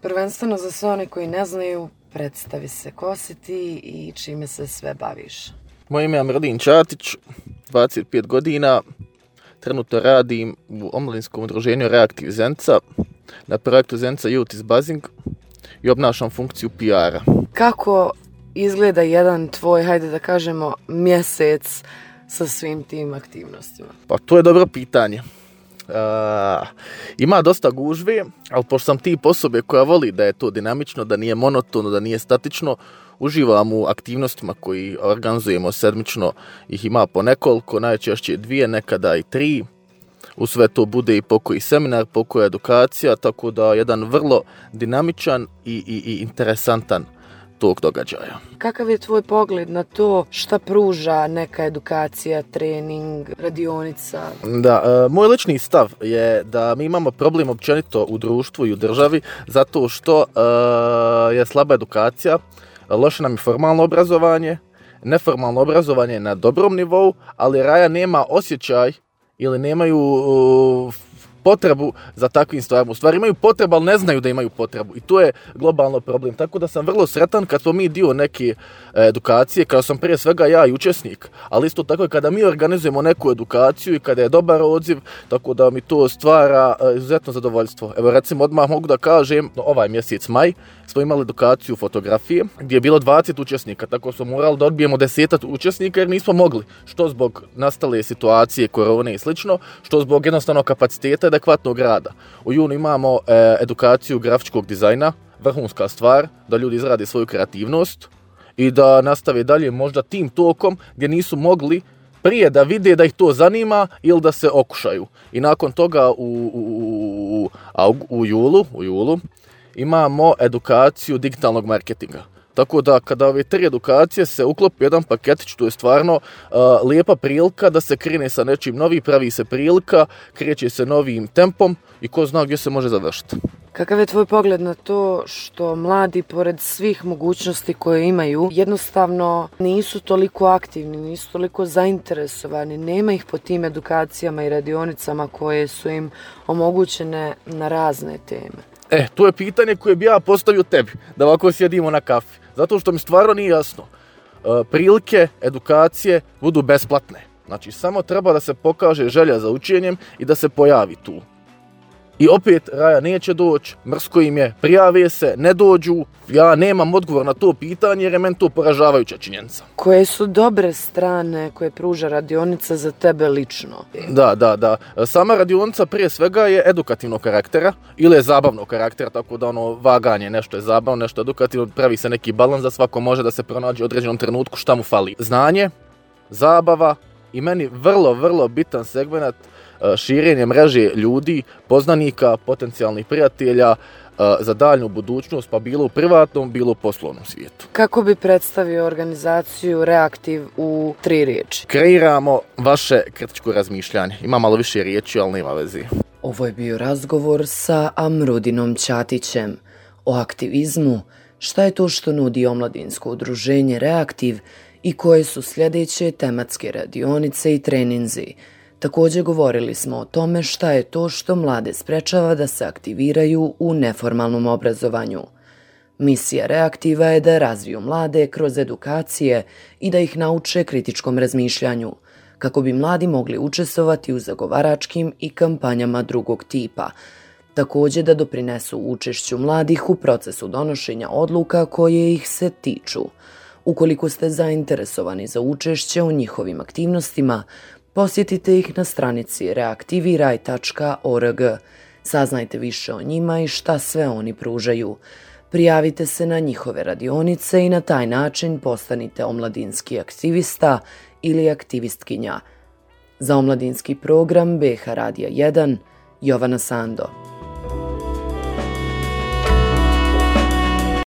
Prvenstveno za sve one koji ne znaju, predstavi se ko si ti i čime se sve baviš. Moje ime je Amradin Čatić, 25 godina. Trenutno radim u omladinskom udruženju Reaktiv Zenica na projektu Zenica Youth is Buzzing i obnašam funkciju PR-a. Kako izgleda jedan tvoj, hajde da kažemo, mjesec sa svim tim aktivnostima? Pa to je dobro pitanje. Ima dosta gužve, ali pošto sam tip osobe koja voli da je to dinamično, da nije monotono, da nije statično, uživam u aktivnostima koji organizujemo sedmično, ih ima po nekoliko, najčešće 2, nekada i 3. U sve to bude i pokoji seminar, pokoji edukacija, tako da jedan vrlo dinamičan i interesantan tog događaja. Kakav je tvoj pogled na to šta pruža neka edukacija, trening, radionica? Da, moj lični stav je da mi imamo problem općenito u društvu i u državi zato što je slaba edukacija, loše nam je formalno obrazovanje, neformalno obrazovanje je na dobrom nivou, ali raja nema osjećaj ili nemaju potrebu za takvim stvarima. U stvari imaju potrebu, ali ne znaju da imaju potrebu. I to je globalno problem. Tako da sam vrlo sretan kad smo mi dio neke edukacije, kada sam prije svega ja i učesnik, ali isto tako i kada mi organizujemo neku edukaciju i kada je dobar odziv, tako da mi to stvara izuzetno zadovoljstvo. Evo recimo odmah mogu da kažem, ovaj mjesec maj smo imali edukaciju fotografije gdje je bilo 20 učesnika, tako smo morali da odbijemo 10 učesnika jer nismo mogli, što zbog nastale situacije, korone i slično, što zbog jednostavno kapaciteta adekvatnog rada. U junu imamo edukaciju grafičkog dizajna, vrhunska stvar, da ljudi izrade svoju kreativnost i da nastave dalje možda tim tokom gdje nisu mogli prije da vide da ih to zanima ili da se okušaju. I nakon toga u julu imamo edukaciju digitalnog marketinga. Tako da kada ove 3 edukacije se uklopi jedan paketić, to je stvarno lijepa prilika da se krene sa nečim novim, pravi se prilika, kreće se novim tempom i ko zna gdje se može završiti. Kakav je tvoj pogled na to što mladi, pored svih mogućnosti koje imaju, jednostavno nisu toliko aktivni, nisu toliko zainteresovani, nema ih po tim edukacijama i radionicama koje su im omogućene na razne teme? To je pitanje koje bi ja postavio tebi, da ovako sjedimo na kafi. Zato što mi stvarno nije jasno. Prilike, edukacije budu besplatne. Znači, samo treba da se pokaže želja za učenjem i da se pojavi tu. I opet, raja neće doći, mrsko im je, prijave se, ne dođu. Ja nemam odgovor na to pitanje jer je meni to poražavajuća činjenica. Koje su dobre strane koje pruža radionica za tebe lično? Da. Sama radionica prije svega je edukativnog karaktera ili je zabavnog karaktera, tako da vaganje, nešto je zabavno, nešto je edukativno, pravi se neki balans da svako može da se pronađe u određenom trenutku šta mu fali. Znanje, zabava i meni vrlo bitan segment širenje mreže ljudi, poznanika, potencijalnih prijatelja za daljnju budućnost, pa bilo u privatnom, bilo u poslovnom svijetu. Kako bi predstavio organizaciju Reaktiv u 3 riječi? Kreiramo vaše kritičko razmišljanje. Ima malo više riječi, ali nema veze. Ovo je bio razgovor sa Amrudinom Čatićem o aktivizmu, šta je to što nudi omladinsko udruženje Reaktiv i koje su sljedeće tematske radionice i treninzi. Također govorili smo o tome šta je to što mlade sprečava da se aktiviraju u neformalnom obrazovanju. Misija Reaktiva je da razviju mlade kroz edukacije i da ih nauče kritičkom razmišljanju, kako bi mladi mogli učestvovati u zagovaračkim i kampanjama drugog tipa. Također da doprinesu učešću mladih u procesu donošenja odluka koje ih se tiču. Ukoliko ste zainteresovani za učešće u njihovim aktivnostima, posjetite ih na stranici reaktiviraj.org. Saznajte više o njima i šta sve oni pružaju. Prijavite se na njihove radionice i na taj način postanite omladinski aktivista ili aktivistkinja. Za omladinski program BH Radija 1, Jovana Sando.